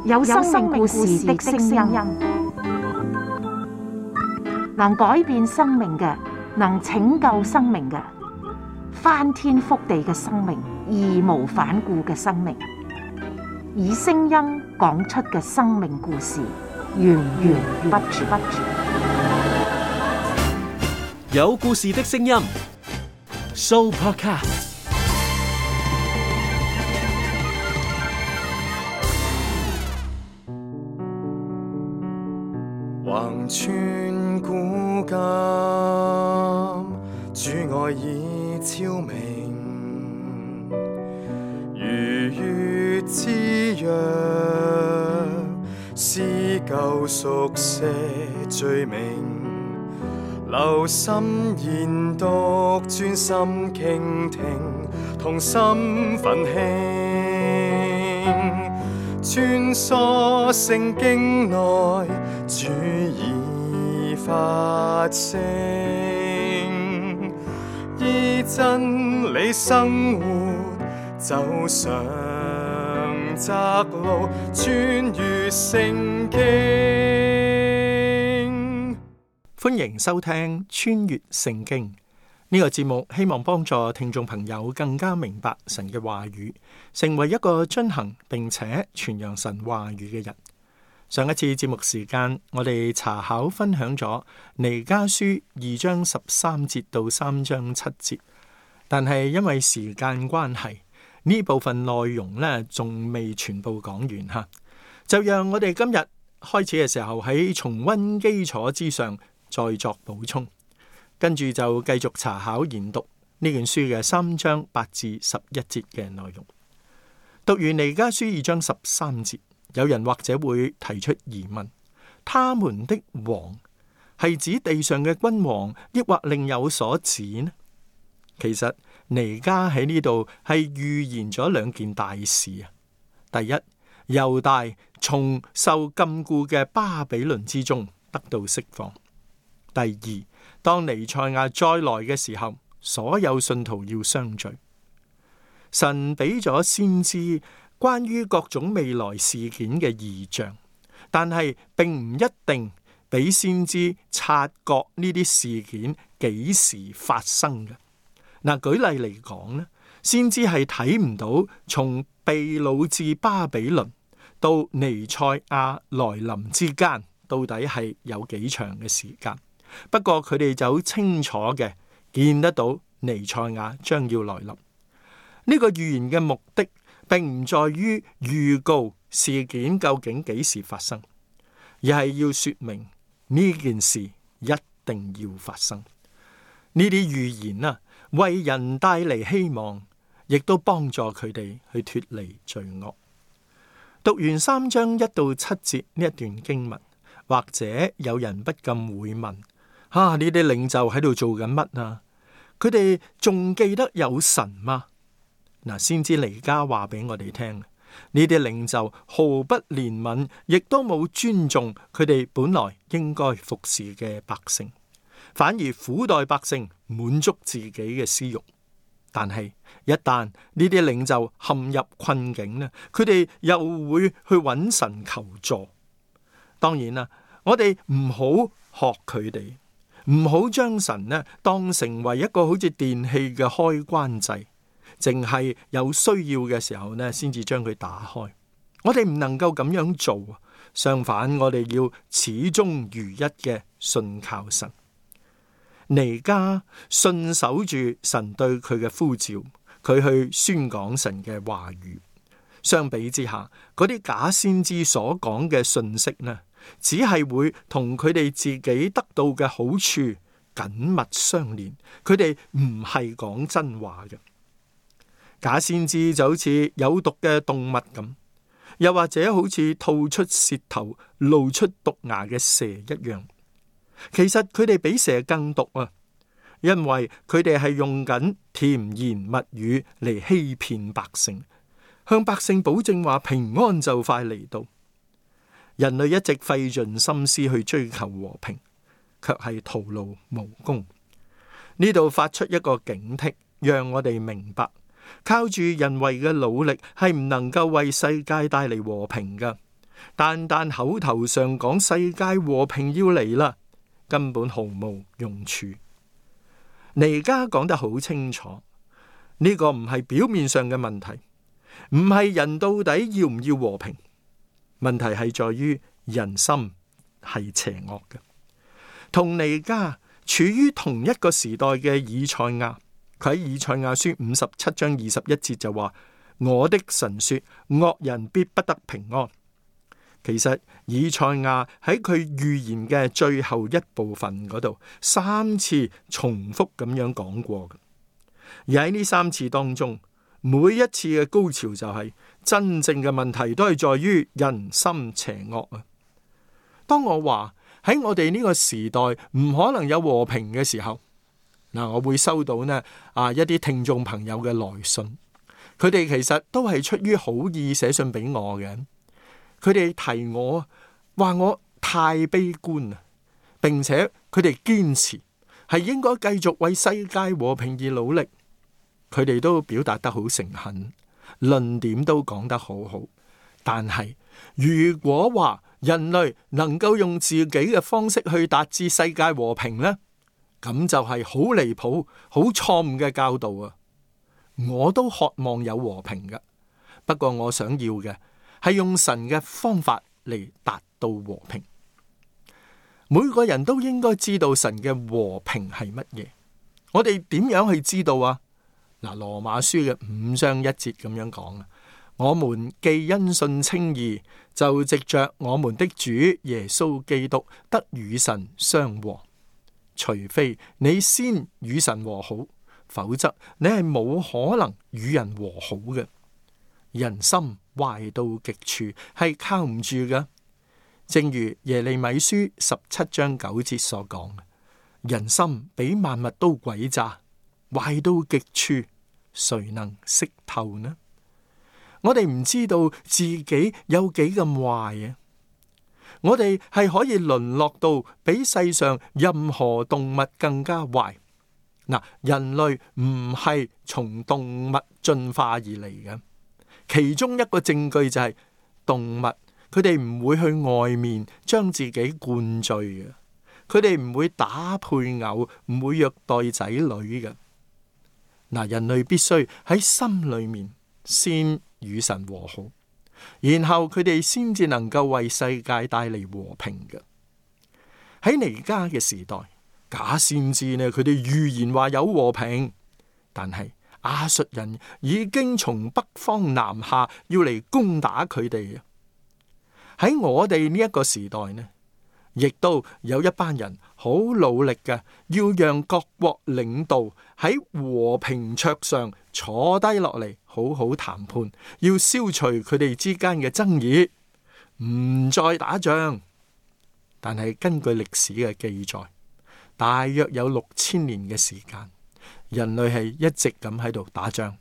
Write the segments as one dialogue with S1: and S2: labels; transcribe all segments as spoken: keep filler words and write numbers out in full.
S1: 有生命故事的聲音，能改變生命嘅，能拯救生命嘅，翻天覆地嘅生命，義無反顧嘅生命，以聲音講出嘅生命故事，源源不絕。
S2: 有故事的聲音 ，Sooopodcast。
S3: 橫穿古今，主愛已超明，如月之約，撕舊熟寫罪名，留心研讀，專心傾聽，同心奮興，穿梭聖經內，主已發聲，依真理生活，走上窄路，穿越聖經。
S4: 歡迎收聽穿越聖經呢個節目，希望幫助聽眾朋友更加明白神嘅話語，成為一個遵行並且傳揚神話語嘅人。上一次節目時間，我哋查考分享咗彌迦書二章十三節到三章七節，但係因為時間關係，呢部分內容呢仲未全部講完哈，就讓我哋今日開始嘅時候喺重溫基礎之上再作補充，跟住就繼續查考研讀呢卷書嘅三章八至十一節嘅內容。讀完彌迦書二章十三節，有人或者會提出疑問：他們的王係指地上嘅君王，抑或另有所指呢？其實彌迦喺呢度係預言咗兩件大事啊。第一，猶大從受禁錮嘅巴比倫之中得到釋放；第二，當彌賽亞再來嘅時候，所有信徒要相聚。神俾咗先知關於各種未來事件嘅異象，但係並唔一定俾先知察覺呢啲事件幾時發生嘅。嗱，舉例嚟講咧，先知係睇唔到從被擄至巴比倫到彌賽亞來臨之間到底係有幾長嘅時間。不過佢哋就清楚嘅見得到彌賽亞將要來臨。呢個預言嘅目的並唔在於預告事件究竟幾時發生，而係要說明呢件事一定要發生。呢啲預言啊，為人帶嚟希望，亦都幫助佢哋去脫離罪惡。讀完三章一到七節呢一段經文，或者有人不禁會問：啊，呢啲領袖喺度做緊乜啊？佢哋仲記得有神嗎？嗱，先知彌迦話俾我哋聽，呢啲領袖毫不憐憫，亦都冇尊重佢哋本來應該服侍嘅百姓，反而苦待百姓，滿足自己嘅私欲。但係一旦呢啲領袖陷入困境呢，佢哋又會去揾神求助。當然啦，我哋唔好學佢哋，唔好將神呢當成為一個好似電器嘅開關掣，淨係有需要嘅時候呢，先至將佢打開。我哋唔能夠咁樣做，相反，我哋要始終如一嘅信靠神。彌迦信守住神對佢嘅呼召，佢去宣講神嘅話語。相比之下，嗰啲假先知所講嘅信息呢，只係會同佢哋自己得到嘅好處緊密相連，佢哋唔係講真話嘅。假先知就好似有毒嘅動物咁，又或者好似吐出舌頭露出毒牙嘅蛇一樣。其實佢哋比蛇更毒啊，因為佢哋係用緊甜言蜜語嚟欺騙百姓，向百姓保證話平安就快嚟到。人類一直費盡心思去追求和平，卻係徒勞無功。呢度發出一個警惕，讓我哋明白靠住人為嘅努力係唔能夠為世界帶嚟和平噶。單單口頭上講世界和平要嚟啦，根本毫無用處。彌迦講得好清楚，呢個唔係表面上嘅問題，唔係人到底要唔要和平，問題係在於人心係邪惡嘅。同彌迦處於同一個時代嘅以賽亞，佢喺以賽亞書五十七章二十一節就話：我的神說，惡人必不得平安。其實以賽亞喺佢預言嘅最後一部分嗰度，三次重複咁樣講過嘅。而喺呢三次當中，每一次嘅高潮就係、是、真正嘅問題都係在於人心邪惡啊！當我話喺我哋呢個時代唔可能有和平嘅時候，嗱，我會收到呢啊一啲聽眾朋友嘅來信，佢哋其實都係出於好意寫信俾我嘅。佢哋提我話我太悲觀啦，並且佢哋堅持係應該繼續為世界和平而努力。佢哋都表達得好誠懇，論點都講得好好。但係如果話人類能夠用自己嘅方式去達至世界和平呢，咁就係好離譜、好錯誤嘅教導啊！我都渴望有和平㗎，不過我想要嘅係用神嘅方法嚟達到和平。每個人都應該知道神嘅和平係乜嘢。我哋點樣去知道啊？嗱，羅馬書嘅五章一節咁樣講啊，我們既因信稱義，就藉着我們的主耶穌基督得與神相和。除非你先與神和好，否則你係冇可能與人和好嘅。人心壞到極處，係靠唔住嘅。正如耶利米書十七章九節所講，人心比萬物都詭詐，壞到極處，誰能識透呢？我哋唔知道自己有幾咁壞啊！我哋係可以淪落到比世上任何動物更加壞。嗱，人類唔係從動物進化而嚟嘅。其中一個證據就係動物，佢哋唔會去外面將自己灌醉嘅，佢哋唔會打配偶，唔會虐待仔女嘅。嗱，人類必須喺心裏面先與神和好，然後佢哋先至能夠為世界帶嚟和平嘅。喺彌迦嘅時代，假先知呢，佢哋預言話有和平，但係亞述人已經從北方南下，要嚟攻打佢哋。喺我哋呢一個時代呢，亦都有一班人好努力嘅，要讓各國領導喺和平桌上坐低落嚟，好好談判，要消除佢哋之間嘅爭議，唔再打仗。但係根據歷史嘅記載，大約有六千年嘅時間，人類係一直咁喺度打仗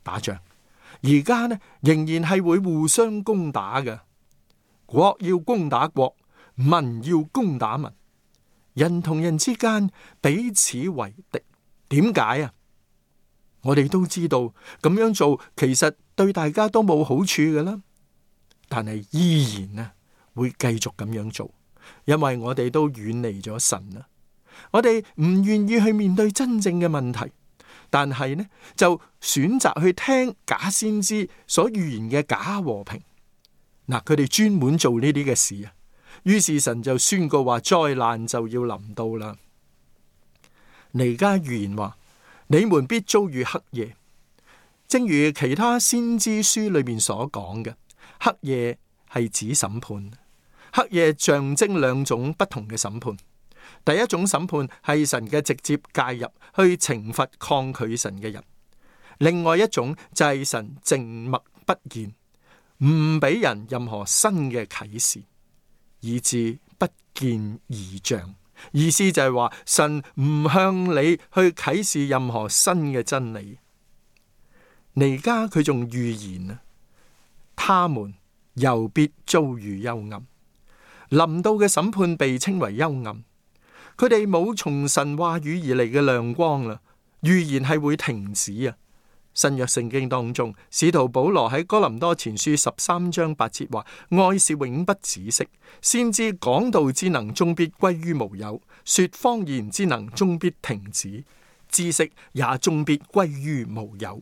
S4: 打仗，而家呢仍然係會互相攻打嘅，國要攻打國，民要攻打民，人同人之間彼此為敵。點解啊？我哋都知道咁樣做其實對大家都冇好處嘅啦，但係依然呢會繼續咁樣做，因為我哋都遠離咗神啦。我哋唔願意去面對真正嘅問題，但係呢就選擇去聽假先知所預言嘅假和平。嗱，佢哋專門做呢啲嘅事啊，於是神就宣告話災難就要臨到啦。彌迦預言話，你們必遭遇黑夜，正如其他先知書裏面所講嘅，黑夜係指審判。黑夜象徵兩種不同嘅審判。第一種審判係神嘅直接介入去懲罰抗拒神嘅人，另外一種就係神靜默不言，唔俾人任何新嘅啟示，以致不見異象。意思就係話神唔向你去啟示任何新嘅真理。彌迦佢仲預言啊，他們又必遭遇幽暗。臨到嘅審判被稱為幽暗，佢哋冇從神話語而嚟嘅亮光啦。預言係會停止啊，新約聖經當中，使徒保羅喺哥林多前書十三章八節話：愛是永不止息，先知講道之能終必歸於無有，說方言之能終必停止，知識也終必歸於無有。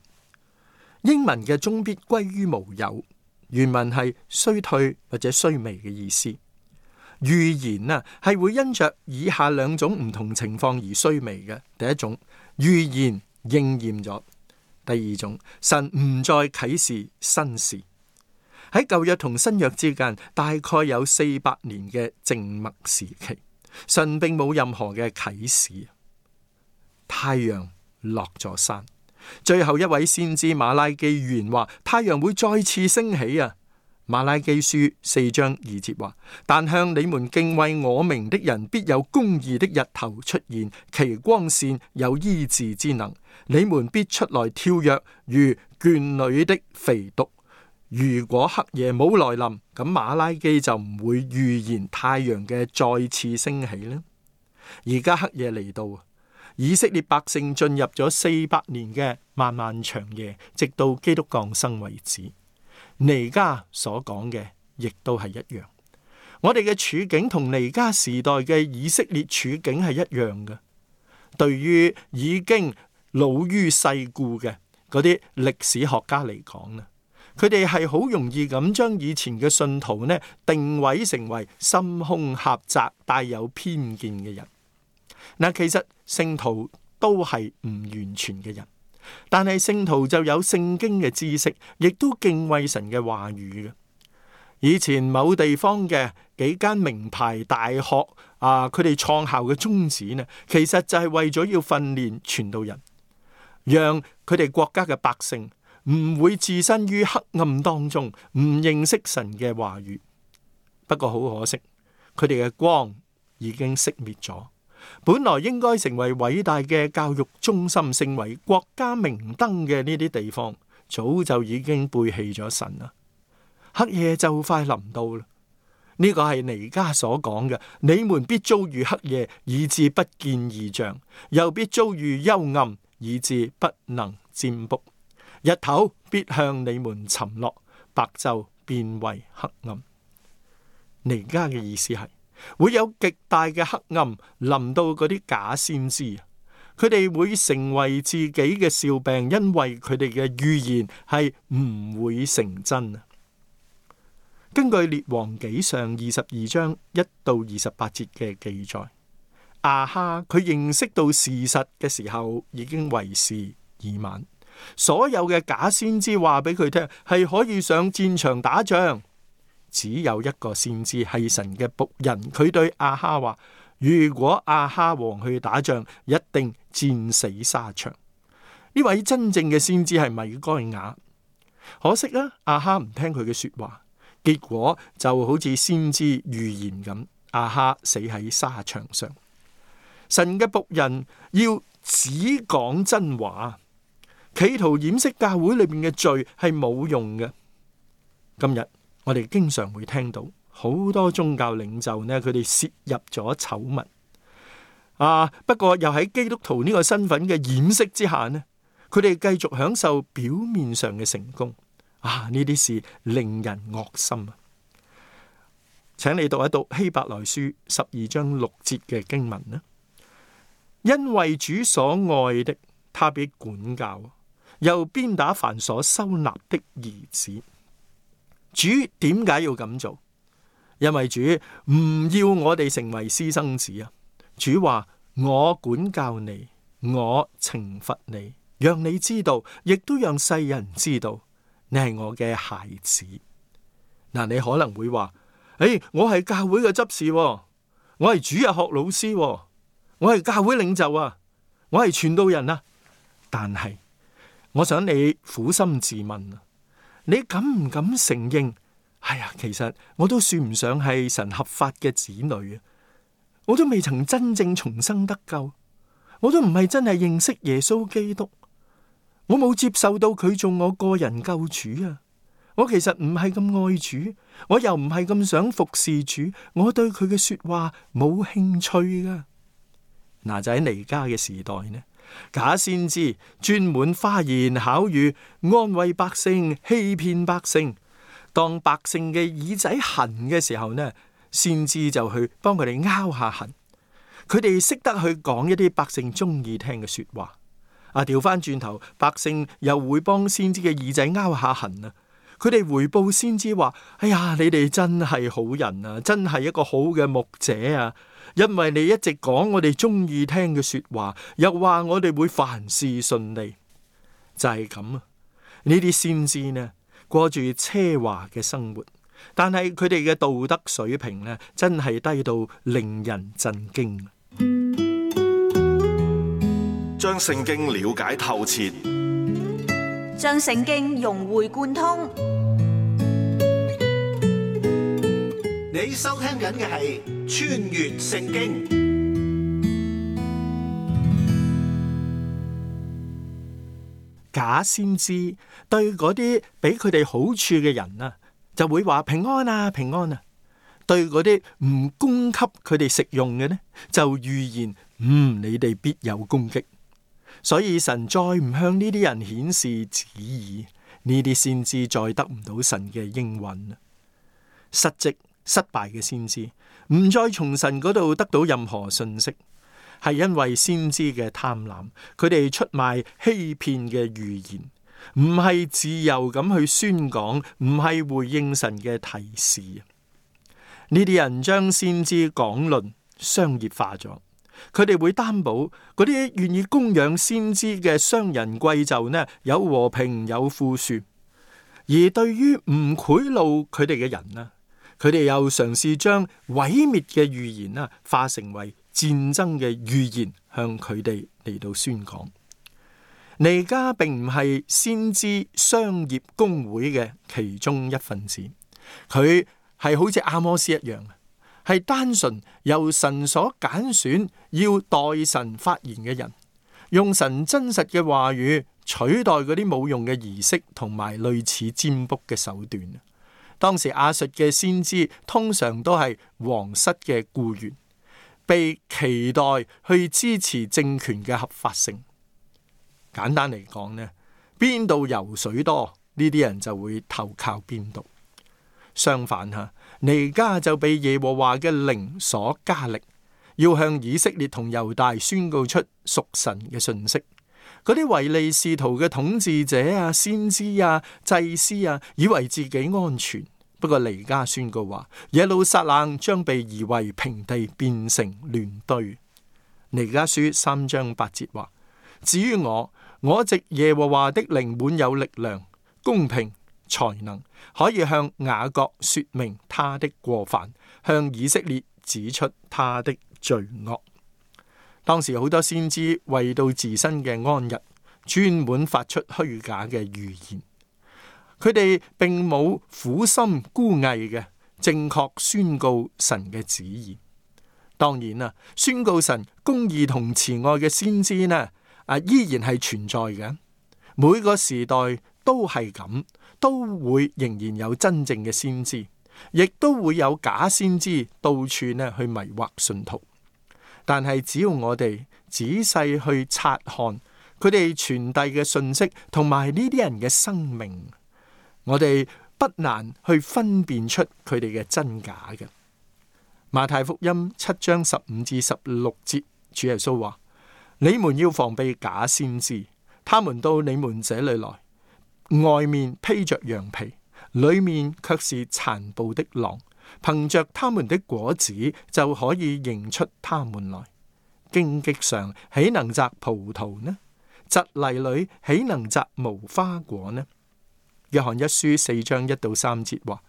S4: 英文嘅終必歸於無有，原文係衰退或者衰微嘅意思。預言啊係會因着以下兩種唔同情況而衰微嘅。第一種，預言應驗咗。第二種，神唔再啟示新事。喺舊約同新約之間，大概有四百年嘅靜默時期，神並冇任何嘅啟示。太陽落咗山，最後一位先知馬拉基預言話，太陽會再次升起啊！馬拉基書四章二節話：但向你們敬畏我名的人，必有公義的日頭出現，其光線有醫治之能。你們必出來跳躍，如圈裏的肥犢。如果黑夜冇來臨，咁馬拉基就唔會預言太陽嘅再次升起啦。而家黑夜嚟到，以色列百姓進入咗四百年嘅漫漫長夜，直到基督降生為止。彌迦所講嘅亦都係一樣，我哋嘅處境同彌迦時代嘅以色列處境係一樣嘅。對於已經老於世故嘅嗰啲歷史學家嚟講呢，佢哋係好容易咁將以前嘅信徒呢定位成為心胸狹窄、帶有偏見嘅人。嗱，其實聖徒都係唔完全嘅人。但係聖徒就有聖經嘅知識，亦都敬畏神嘅話語嘅。以前某地方嘅幾間名牌大學啊，佢哋創校嘅宗旨呢，其實就係為咗要訓練傳道人，讓佢哋國家嘅百姓唔會置身於黑暗當中，唔認識神嘅話語。不過好可惜，佢哋嘅光已經熄滅咗。本來應該成為偉大嘅教育中心，成為國家明燈嘅呢啲地方，早就已經背棄咗神啦。黑夜就快臨到啦，呢個係彌迦所講嘅：你們必遭遇黑夜，以致不見異象；又必遭遇幽暗，以致不能占卜。日頭必向你們沉落，白晝變為黑暗。彌迦嘅意思係，會有極大嘅黑暗臨到嗰啲假先知，佢哋會成為自己嘅笑柄，因為佢哋嘅預言係唔會成真啊。根據列王紀上二十二章一到二十八節嘅記載，亞哈佢認識到事實嘅時候已經為時已晚，所有嘅假先知話俾佢聽係可以上戰場打仗。只有一個先知係神嘅僕人，佢對亞哈話：如果亞哈王去打仗，一定戰死沙場。呢位真正嘅先知係米該雅，可惜啊，亞哈唔聽佢嘅說話，結果就好似先知預言咁，亞哈死喺沙場上。神嘅僕人要只講真話，企圖掩飾教會裏面嘅罪係冇用嘅。今日我哋經常會聽到好多宗教領袖呢，佢哋涉入咗醜聞啊。不過又喺基督徒呢個身份嘅掩飾之下呢，佢哋繼續享受表面上嘅成功啊。呢啲事令人惡心啊！請你讀一讀希伯來書十二章六節嘅經文啦。因為主所愛的，他必管教，又鞭打凡所收納的兒子。主點解要咁做？因為主唔要我哋成為私生子啊！主話：我管教你，我懲罰你，讓你知道，亦都讓世人知道，你係我嘅孩子。嗱，你可能會話：誒，我係教會嘅執事，我係主日學老師，我係教會領袖啊，我係傳道人啊。但係，我想你苦心自問啊。你敢唔敢承認？哎呀，其實我都算唔上係神合法嘅子女啊！我都未曾真正重生得救，我都唔係真係認識耶穌基督，我冇接受到佢做我個人救主啊！我其實唔係咁愛主，我又唔係咁想服侍主，我對佢嘅說話冇興趣噶。嗱，就喺彌迦嘅時代呢，假先知專門花言巧語，安慰百姓，欺騙百姓。當百姓嘅耳仔痕嘅時候呢，先知就去幫佢哋拗下痕。佢哋識得去講一啲百姓中意聽嘅說話。啊，調翻轉頭，百姓又會幫先知嘅耳仔拗下痕啊。佢哋回報先知話：哎呀，你哋真係好人啊，真係一個好嘅牧者啊！因為你一直講我哋中意聽嘅說話，又話我哋會凡事順利，就係咁啊！呢啲先知呢，過住奢華嘅生活，但係佢哋嘅道德水平呢，真係低到令人震驚。
S5: 將聖經了解透徹，
S6: 將聖經融會貫通。
S7: 你收聽緊嘅係《穿越聖經》。
S4: 假先知對嗰啲俾佢哋好處嘅人啊，就會話平安啊，平安啊。對嗰啲唔供給佢哋食用嘅呢，就預言嗯，你哋必有攻擊。所以神再唔向呢啲人顯示旨意，呢啲先知再得唔到神嘅應允。失職失敗嘅先知唔再從神嗰度得到任何信息，係因為先知嘅貪婪，佢哋出賣欺騙嘅預言，唔係自由咁去宣講，唔係回應神嘅提示。呢啲人將先知講論商業化咗。佢哋會擔保嗰啲願意供養先知嘅商人貴胄呢，有和平有富庶；而對於唔賄賂佢哋嘅人呢，佢哋又嘗試將毀滅嘅預言呢，化成為戰爭嘅預言，向佢哋嚟到宣講。彌迦並唔係先知商業公會嘅其中一份子，佢係好似阿摩斯一樣，係單純由神所揀選要代神發言嘅人，用神真實嘅話語取代嗰啲冇用嘅儀式同埋類似占卜嘅手段。當時亞述嘅先知通常都係皇室嘅僱員，被期待去支持政權嘅合法性。簡單嚟講呢，邊度油水多，呢啲人就會投靠邊度。相反吓，彌迦就被耶和華嘅靈所加力，要向以色列同猶大宣告出屬神嘅信息。嗰啲唯利是圖嘅統治者啊、先知啊、祭司啊，以為自己安全。不過彌迦宣告話，耶路撒冷將被夷為平地，變成亂堆。彌迦書三章八節話：至於我，我藉耶和華的靈滿有力量、公平、才能，可以向雅各說明他的過犯，向以色列指出他的罪惡。當時好多先知為到自身嘅安逸，專門發出虛假嘅預言。佢哋並冇苦心孤詣嘅正確宣告神嘅旨意。當然啦，宣告神公義同慈愛嘅先知呢，啊依然係存在嘅。每個時代都係咁，都會仍然有真正嘅先知，亦都會有假先知到處呢去迷惑信徒。但係只要我哋仔細去察看佢哋傳遞嘅信息，同埋呢啲人嘅生命，我哋不難去分辨出佢哋嘅真假嘅。馬太福音七章十五至十六節，主耶穌話：你們要防備假先知，他們到你們這裏來，外面披着羊皮，裏面卻是殘暴的狼。憑着他們的果子就可以認出他們來。荊棘上豈能摘葡萄呢？蒺藜裏豈能摘無花果呢？約翰一書四章一到三節話：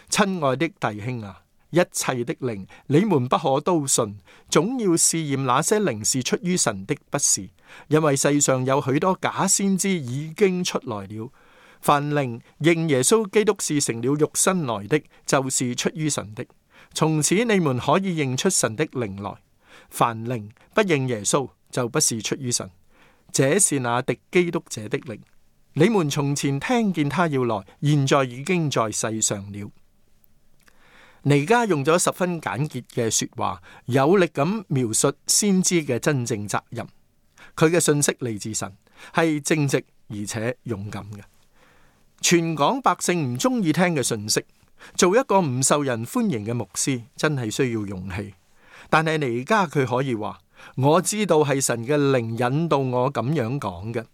S4: 親愛的弟兄啊，一切的靈你們不可都信，總要試驗那些靈是出於神的，不是，因為世上有許多假先知已經出來了。凡靈認耶穌基督是成了肉身來的，就是出於神的。從此你們可以認出神的靈來。凡靈不認耶穌，就不是出於神。這是那敵基督者的靈。你們從前聽見他要來，現在已經在世上了。彌迦用咗十分簡潔嘅說話，有力咁描述先知嘅真正責任。佢嘅信息嚟自神，係正直而且勇敢嘅。全港百姓唔中意聽嘅信息，做一個唔受人歡迎嘅牧師，真係需要勇氣。但係彌迦佢可以話，我知道係神嘅靈引導我咁樣講嘅。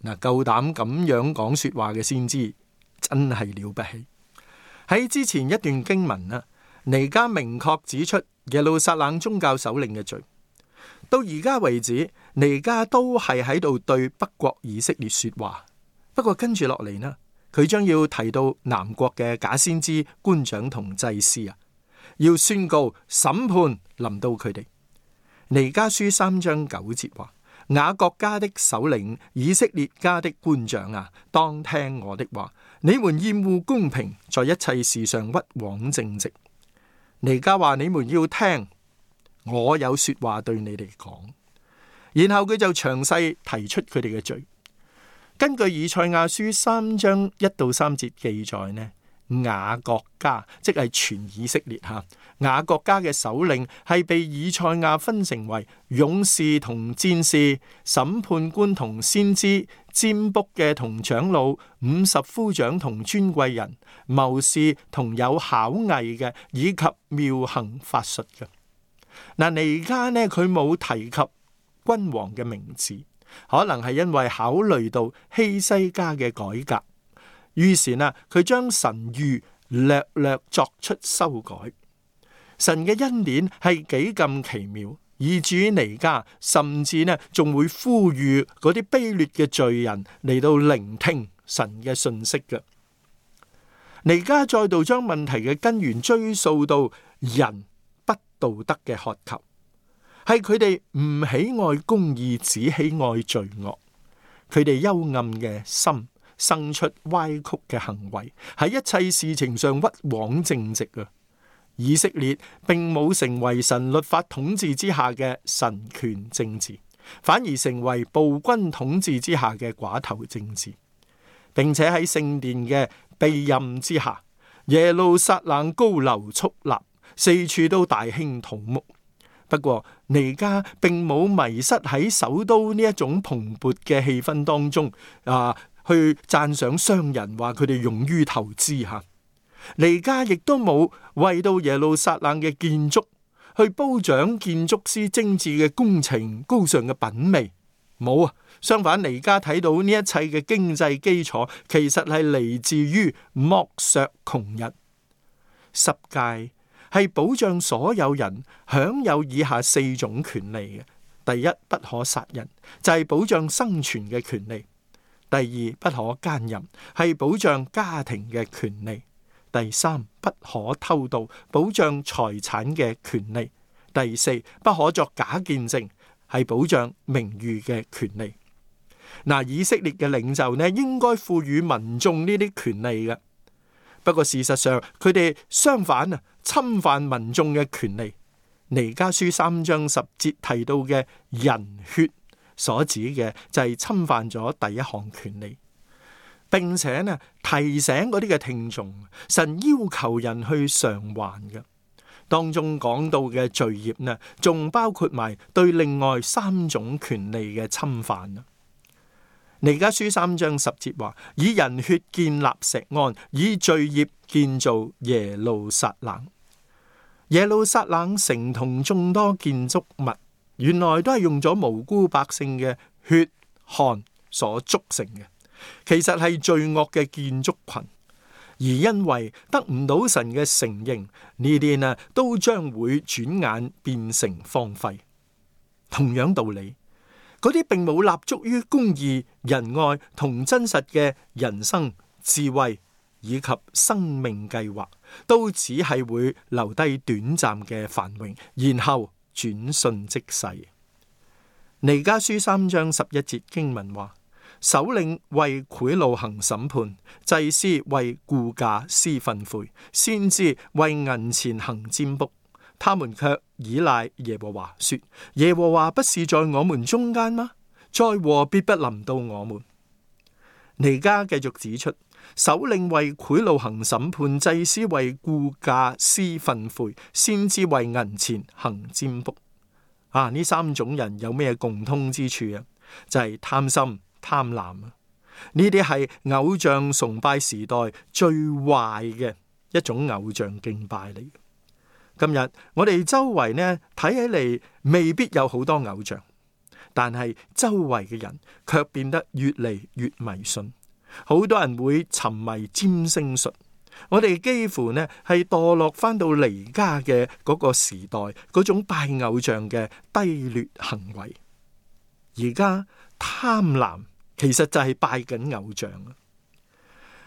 S4: 嗱，夠膽咁樣講說話嘅先知，真係了不起。喺之前一段經文啊，彌迦明確指出耶路撒冷宗教首領嘅罪。到而家為止，彌迦都係喺度對北國以色列說話。不過跟住落嚟呢，佢將要提到南國嘅假先知、官長同祭司啊，要宣告審判臨到佢哋。彌迦書三章九節話：雅各家的首領、以色列家的官長啊，當聽我的話。你們厭惡公平，在一切事上屈枉正直。彌迦話：你們要聽，我有說話對你哋講。然後佢就詳細提出佢哋嘅罪。根據以賽亞書三章一到三節記載呢，雅各家即係全以色列吓，雅各家嘅首領係被以賽亞分成為勇士同戰士、審判官同先知、占卜嘅同長老、五十夫長同尊貴人、謀士同有巧藝嘅，以及妙行法術嘅。嗱，彌迦呢佢冇提及君王嘅名字。可能係因為考慮到希西家嘅改革，於是呢，佢將神諭略略作出修改。神嘅恩典係幾咁奇妙，以至於彌迦甚至呢仲會呼籲嗰啲卑劣嘅罪人嚟到聆聽神嘅信息嘅。彌迦再度將問題嘅根源追溯到人不道德嘅渴求。係佢哋唔喜愛公義，只喜愛罪惡。佢哋幽暗嘅心生出歪曲嘅行為，喺一切事情上屈枉正直啊！以色列並冇成為神律法統治之下嘅神權政治，反而成為暴君統治之下嘅寡頭政治，並且喺聖殿嘅庇蔭之下，耶路撒冷高樓矗立，四處都大興土木。不過彌迦並冇迷失喺首都呢一種蓬勃嘅氣氛當中啊，去讚賞商人話佢哋勇於投資吓。彌迦亦都冇為到耶路撒冷嘅建築去褒獎建築師精緻嘅工程、高尚嘅品味，冇啊。相反，彌迦睇到呢一切嘅經濟基礎，其實係嚟自於剝削窮人。十誡係保障所有人享有以下四種權利嘅。第一，不可殺人，就係保障生存嘅權利。第二，不可姦淫，係保障家庭嘅權利。第三，不可偷盜，保障財產嘅權利。第四，不可作假見證，係保障名譽嘅權利。嗱，以色列嘅領袖呢，應該賦予民眾呢啲權利嘅。不過事實上，佢哋相反啊，侵犯民眾嘅權利。彌迦書三章十節提到嘅人血所指嘅就係侵犯咗第一項權利，並且呢提醒嗰啲嘅聽眾，神要求人去償還嘅。當中講到嘅罪孽呢，仲包括埋對另外三種權利嘅侵犯啊。彌迦書三章十節話：以人血建立錫安，以罪孽建造耶路撒冷。耶路撒冷城同眾多建築物，原來都係用咗無辜百姓嘅血汗所築成嘅，其實係罪惡嘅建築群。而因為得唔到神嘅承認，呢啲呢都將會轉眼變成荒廢。同樣道理，嗰啲並冇立足於公義、仁愛同真實嘅人生智慧以及生命計劃，都只係會留低短暫嘅繁榮，然後轉瞬即逝。彌迦書三章十一節經文話：首領為賄賂行審判，祭司為雇價施訓誨，先知為銀錢行占卜。他們卻倚賴耶和華，說：耶和華不是在我們中間嗎？災禍必不臨到我們。彌迦繼續指出，首領為賄賂行審判，祭司為雇價施訓誨，先知為銀錢行占卜。啊，呢三種人有咩共通之處啊？就係貪心、貪婪啊！呢啲係偶像崇拜時代最壞嘅一種偶像敬拜嚟。今日我哋周圍呢睇起嚟未必有好多偶像，但係周圍嘅人卻變得越嚟越迷信。好多人會沉迷占星術，我哋幾乎呢係墮落翻到彌迦嘅嗰個時代嗰種拜偶像嘅低劣行為。而家貪婪其實就係拜緊偶像啊！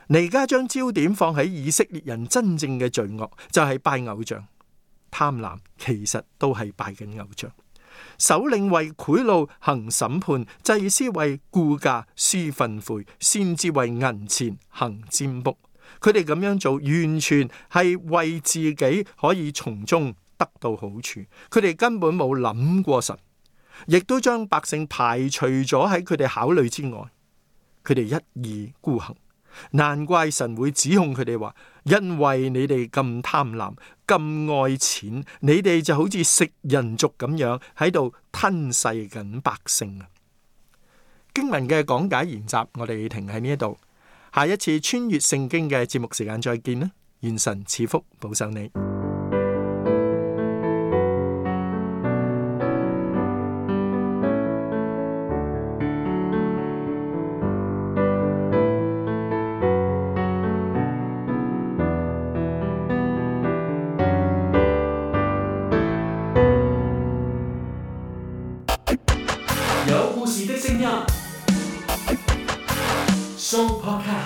S4: 彌迦將焦點放喺以色列人真正嘅罪惡，就係拜偶像。貪婪其實都係拜緊偶像。首領為賄賂行審判，祭司為雇價施訓誨，先知為銀錢行占卜。佢哋咁樣做，完全係為自己可以從中得到好處。佢哋根本冇諗過神，亦都將百姓排除咗喺佢哋考慮之外。佢哋一意孤行，難怪神會指控佢哋話：因為你哋咁貪婪、咁愛錢，你哋就好似食人族咁樣喺度吞噬緊百姓啊！經文嘅講解研習，我哋停喺呢一度。下一次穿越聖經嘅節目時間再見啦！願神賜福保守你。
S2: 有故事的聲音，Show Podcast。